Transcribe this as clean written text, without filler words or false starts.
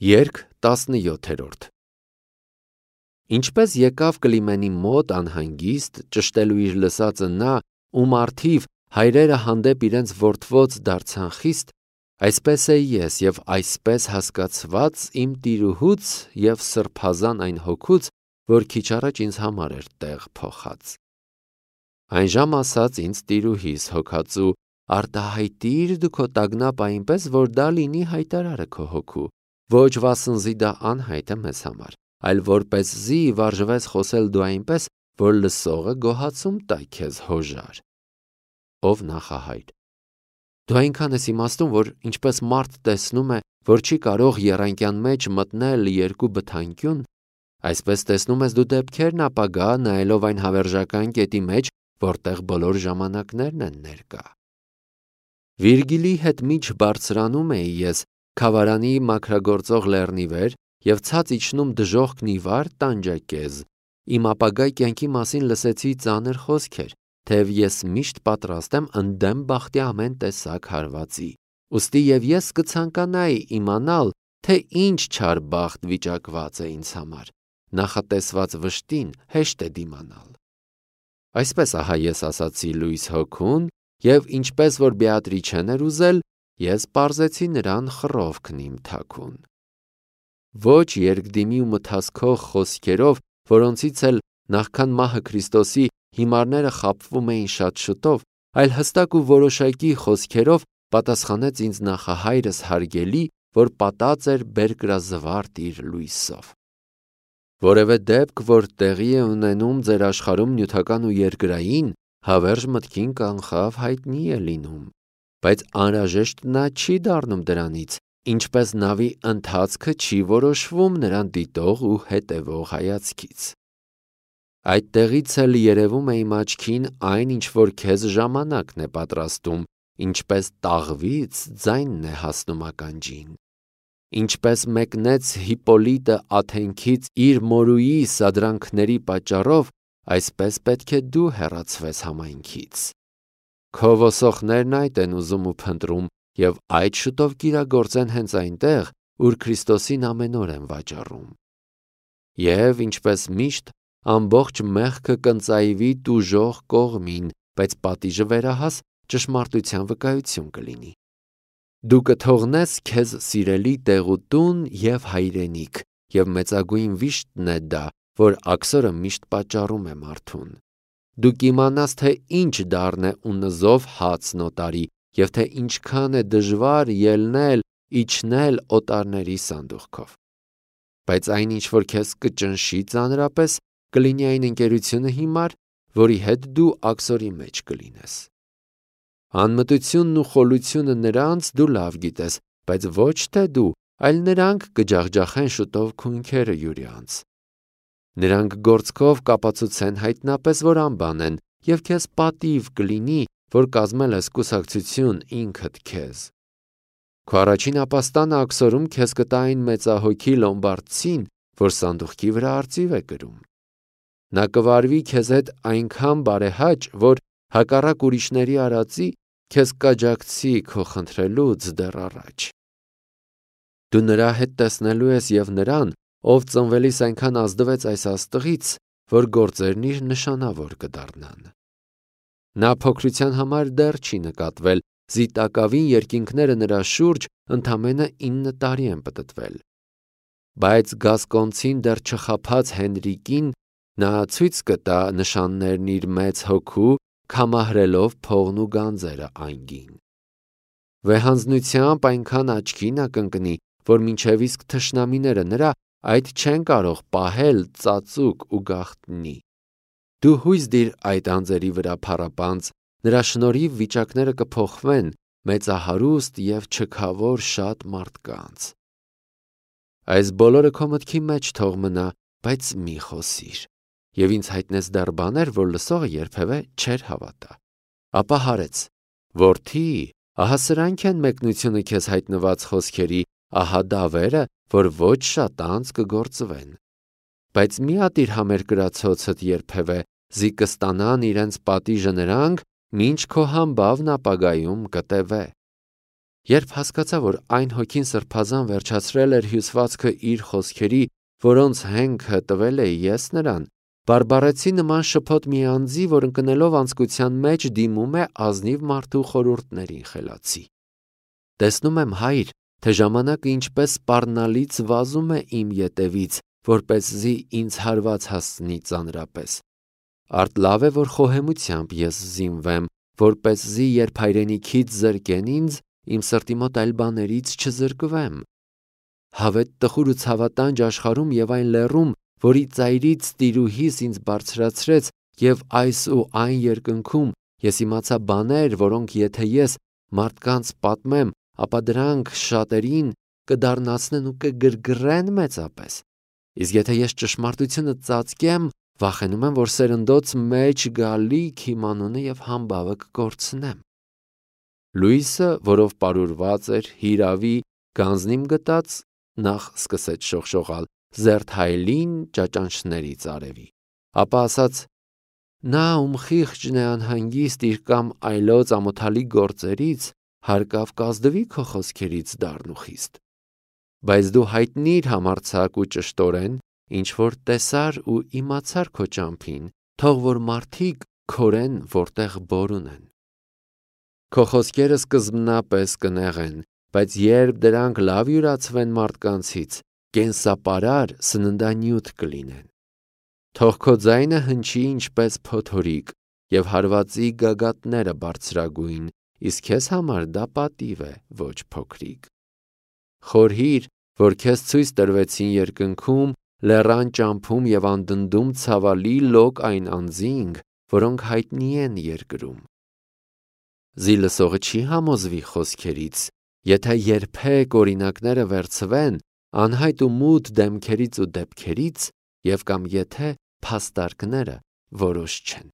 Երգ 17-րդ Ինչպես եկավ Կլիմենի մոտ անհանգիստ, ճշտելու իր լսածը նա, ում առթիվ հայրերը հանդեպ իրենց որդվոց դարձան խիստ, այսպես է ես և այսպես հասկացված իմ տիրուհուց և սրբազան այն հոգուց, որ քիչ առաջ ինձ համար էր տեղ փոխած։ Այն ժամ ասաց ինձ տիրուհիս հոգածու, արտահայտիր դու քո տագնապ այնպես, որ դա լինի հայտարարը քո հոգու, ոչ վասնզի դա անհայտ է մեզ համար, այլ որպեսզի վարժվես խոսել դու այնպես, որ լսողը գոհացում տա քեզ հոժար։ Ով նախահայր։ Դու այնքան ես իմաստուն, որ ինչպես մարդ տեսնում է, որ չի կարող եռանկյան մեջ մտնել երկու բթանկյուն, այսպես տեսնում ես դու դեպքերն ապագա, նայելով այն հավերժական կետի մեջ, որտեղ բոլոր ժամանակներն են ներկա։ Վիրգիլի հետ միջ բարձրանում էի ես Քավարանի մաքրագործող լեռնի վեր և ցած իջնում դժոխքն ի վար տանջակեզ, իմ ապագա կյանքի մասին լսեցի ծանր խոսքեր, թեև ես միշտ պատրաստ եմ ընդդեմ բախտի ամեն տեսակ հարվածի, ուստի և ես կցանկանայի իմանալ, թե ինչ չար բախտ վիճակված է ինձ համար, նախատեսված վշտին հեշտ է դիմանալ։ Այսպես ահա ես ասացի լույս հոգուն, և ինչպես որ Բեատրիչեն էր ուզել, ես պարզեցի նրան խռովքն իմ թաքուն։ Ոչ երկդիմի ու մթասքող խոսքերով, որոնցից էլ նախքան մահը Քրիստոսի հիմարները խաբվում էին շատ շուտով, այլ հստակ ու որոշակի խոսքերով պատասխանեց ինձ նախահայրս հարգելի, որ պատած էր բերկրազվարթ իր լույսով։ Որևէ դեպք, որ տեղի է ունենում ձեր աշխարհում նյութական ու երկրային, հավերժ մտքին կանխավ հայտնի է լինում, բայց անհրաժեշտ նա չի դառնում դրանից, ինչպես նավի ընթացքը չի որոշվում նրան դիտող ու հետևող հայացքից։ Այդտեղից էլ երևում է իմ աչքին այն, ինչ որ քեզ ժամանակն է պատրաստում, ինչպես տաղվից ձայնն է հասնում ականջին։ Ինչպես մեկնեց Հիպպոլիտը Աթենքից իր մորուի սադրանքների պատճառով, այսպես պետք է դու հեռացվես համայնքից։ Քո ոսողներն այդ են ուզում ու փնտրում, և այդ շուտով կիրագործեն հենց այնտեղ, ուր Քրիստոսին ամեն օր են վաճառում։ Եվ, ինչպես միշտ, ամբողջ մեղքը կընծայվի տուժող կողմին, բայց պատիժը վերահաս ճշմարտության վկայություն կլինի։ Դու կթողնես քեզ սիրելի տեղուտուն և հայրենիք, և մեծագույն վիշտն է դա, որ աքսորը միշտ պատճառում է մարդուն։ Դու կիմանաս, թե ինչ դառն է ու նզով հացն օտարի, և թե ինչքան է դժվար ելնել, իջնել օտարների սանդուղքով։ Բայց այն, ինչ որ քեզ կճնշի ծանրապես, կլինի այն ընկերությունը հիմար, որի հետ դու աքսորի մեջ կլինես։ Անմտությունն ու խոլությունը նրանց դու լավ գիտես, բայց ոչ թե դու, այլ նրանք կջախջախեն շուտով քունքերը յուրյանց։ Նրանք գործքով կապացուցեն հայտնապես, որ անբան են, և քեզ պատիվ կլինի, որ կազմել ես կուսակցություն ինքդ քեզ։ Քո առաջին ապաստանը աքսորում քեզ կտա այն մեծահոգի լոմբարդցին, որ սանդուղքի վրա արծիվ է կրում։ Նա կվարվի քեզ հետ այնքան բարեհաճ, որ հակառակ ուրիշների արածի քեզ կաջակցի քո խնդրելուց դեռ առաջ։ Դու նրա հետ տեսնելու ես և նրան, ով ծնվելիս այնքան ազդվեց այս աստղից, որ գործերն իր նշանավոր կդառնան։ Նա փոքրության համար դեռ չի նկատվել, զիտակավին երկինքները նրա շուրջ ընդամենը 9 տարի են պտտվել։ Բայց գասկոնցին դեռ չխաբած Հենրիկին նա ցույց կտա նշաններն իր մեծ հոգու, քամահրելով փողն ու գանձերը անգին։ Վեհանձնությամբ այնքան աչքին ակնկնի, որ մինչև իսկ թշնամիները նրա այդ չեն կարող պահել ծածուկ ու գաղտնի։ Դու հույս դիր այդ անձերի վրա փառապանծ, նրա շնորհիվ վիճակները կփոխվեն մեծահարուստ և չքավոր շատ մարդկանց։ Այս բոլորը քո մտքի մեջ թող մնա, բայց մի խոսիր։ Եվ ինձ հայտնես դեռ բաներ, որ լսողը երբևէ չէր հավատա։ Ապա հարեց. Որդի, ահա սրանք են մեկնությունը քեզ հայտնված խոսքերի, ահա դավերը, որ ոչ շատ անց կգործվեն։ Բայց մի ատիր համերկրացոցդ երբևէ, զի կստանան իրենց պատիժը նրանք, մինչ քո համբավն ապագայում կտևե։ Երբ հասկացա, որ այն հոգին սրբազան վերջացրել էր հյուսվածքը իր խոսքերի, որոնց հենքը տվել էի ես նրան, բարբառեցի նման շփոթ մի անձի, որ ընկնելով անձկության մեջ դիմում է ազնիվ մարդու խորհուրդներին խելացի։ Տեսնում եմ, Հայր, թե ժամանակը ինչպես սպառնալից վազում է իմ ետևից, որպեսզի ինձ հարված հասցնի ծանրապես։ Արդ լավ է, որ խոհեմությամբ ես զինվեմ, որպեսզի երբ հայրենիքից զրկեն ինձ, իմ սրտի մոտ այլ բաներից չզրկվեմ։ Հավետ տխուր ու ցավատանջ աշխարհում եւ այն լեռում, որի ծայրից տիրուհիս ինձ բարձրացրեց, եւ այս ու այն երկնքում ես իմացա բաներ, որոնք եթե ես մարդկանց պատմեմ, ապա դրանք շատերին կդառնացնեն ու կգրգռեն մեծապես։ Իսկ եթե ես ճշմարտությունը ծածկեմ, վախենում եմ, որ սերնդոց մեջ գալիք իմ անունը եւ համբավը կկորցնեմ։ Լույսը, որով պարուրված էր հիրավի գանձնիմ գտած, նախ սկսեց շողշողալ զերթայլին ճաճանչներից արևի, ապա ասաց. նա ում խիղճն է անհանգիստ իր կամ այլոց ամոթալի գործերից, հարկավ կազդվի քո խոսքերից դառն ու խիստ, բայց դու հայտնիր համարձակ ու ճշտորեն, ինչ որ տեսար ու իմացար քո ճամփին, թող որ մարդիկ քորեն, որտեղ բոր ունեն։ Քո խոսքերը սկզբնապես կնեղեն, բայց երբ դրանք լավ յուրացվեն մարդկանցից, կենսապարար սննդանյութ կլինեն։ Թող քո ձայնը հնչի ինչպես փոթորիկ եւ հարվածի գագաթները բարձրագույն, իսկ քեզ համար դա պատիվ է, ոչ փոքրիկ։ Խորհիր, որ քեզ ցույց տրվեցին երկնքում, լեռան ճամփում եւ անդնդում ցավալի լոկ այն անձինք, որոնք հայտնի են երկրում։ Զի լսողը չի համոզվի խոսքերից, եթե երբեք օրինակները վերցվեն անհայտ ու մութ դեմքերից ու դեպքերից, եւ կամ եթե փաստարկները որոշ չեն։